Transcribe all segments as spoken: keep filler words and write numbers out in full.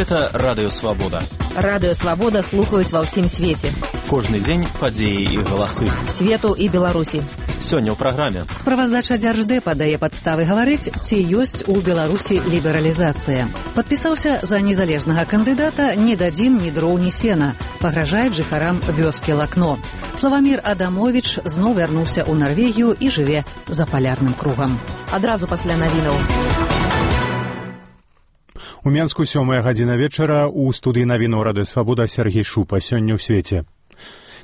Гэта Радыё Свабода. Радыё Свабода слухаюць ва ўсім свеце. Кожны дзень падзеі і галасы. Свету і Беларусі. Сёння ў праграме. Справаздача Дзярждэпа дае падставы гаварыць, ці ёсць у Беларусі лібералізацыя. Падпісаўся за незалежнага кандыдата, не дадзім ні дроў, ні сена. Пагражаюць жыхарам вёскі Лакно. Славамір Адамовіч зноў вярнуўся ў Нарвегію і жыве за палярным кругам. Адразу пасля навінаў. У Менску сёмая гадзіна вечара, у студыі навінаў Радыё Свабода Сергей Шупа. Сёння ў свеце.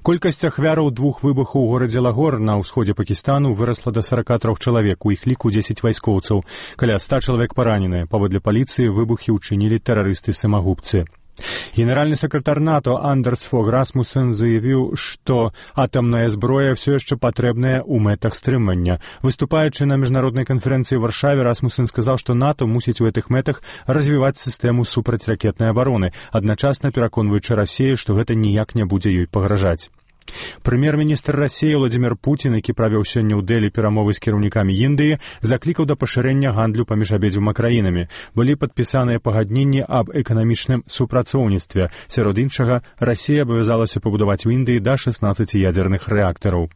Колькасць ахвяраў двух выбухаў у горадзе Лагор на ўсходзе Пакістану вырасла да сорока трох чалавек, у іх ліку дзесяць вайскоўцаў. Каля ста чалавек параненыя. Паводле паліцыі выбухі ўчынілі тэрарысты-самагубцы. Генеральны сакратар НАТО Андерс Фог Расмуссен заявіў, што атамная зброя ўсё яшчэ патрэбная ў мэтах стрымання. Выступаючы на міжнароднай канферэнцыі ў Варшаве, Расмуссен сказаў, што НАТО мусіць у гэтых мэтах развіваць сістэму супрацьракетнай абароны, адначасна пераконваючы Расію, што гэта ніяк не будзе ёй пагражаць. Прэм'ер-міністр Расіі Владзімір Пуцін, які правёў сёння ў Дэлі перамовы з кіраўнікамі Індыі, заклікаў да пашырэння гандлю паміж абедзвюма краінамі. Былі падпісаныя пагадненні аб эканамічным супрацоўніцтве. Сярод іншага, Расія абавязалася пабудаваць у Індыі да шаснаццаці ядзерных рэактараў.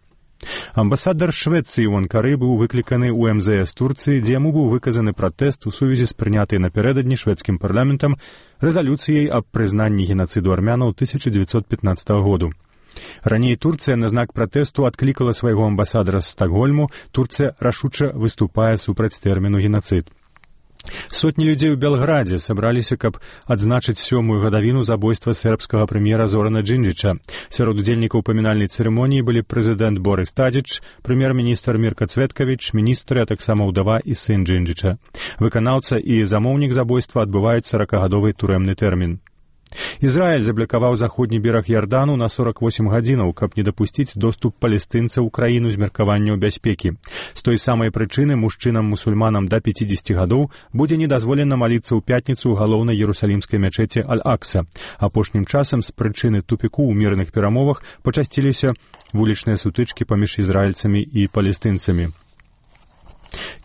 Амбасадар Швецыі ў Анкары быў выкліканы ў эм зэ эс Турцыі, дзе яму быў выказаны пратэст у сувязі з прынятай напярэдадні шведскім парламентам рэзалюцыяй аб прызнанні генацыду армянаў тысяча дзевяцьсот пятнаццатага году. Раней Турцыя на знак пратэсту адклікала свайго амбасадара з Стакгольму. Турцыя рашуча выступае супраць тэрміну генацыд. Сотні людзей у Белградзе сабраліся, каб адзначыць сёмую гадавіну забойства сербскага прэм'ера Зорана Джинджича. Сярод удзельнікаў памінальнай цырымоніі былі прэзідэнт Борис Тадзіч, прэм'ер-міністр Мірка Цветкавіч, міністры, а таксама ўдава і сын Джинджича. Выканаўца і замоўнік забойства адбываюць саракагадовы турэмны тэрмін. Ізраіль заблакаваў заходні бераг Ярдану на сорок восемь гадзінаў, каб не дапусціць доступ палестынцаў у краіну з меркаванняў бяспекі. З той самай прычыны мужчынам-мусульманам да пяцідзесяці гадоў будзе недазволена маліцца ў пятніцу ў галоўнай іерусалімскай мячэці Аль-Акса. Апошнім часам з прычыны тупіку ў мірных перамовах пачасціліся вулічныя сутычкі паміж ізраільцамі і палестынцамі.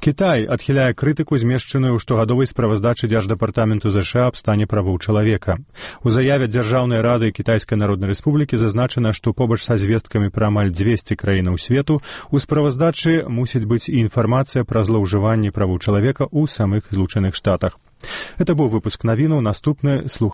Кітай адхіляе крытыку, змешчаную ў штогадовай справаздачы Дзярждэпартаменту ЗША аб стане правоў чалавека. У заяве Дзяржаўнай рады Кітайскай Народнай Рэспублікі зазначана, што побач са звесткамі пра амаль дзвесце краінаў свету у справаздачы мусіць быць і інфармацыя пра злоўжыванне правоў чалавека ў самых Злучаных Штатах. Это быў выпуск навінаў. Наступны слух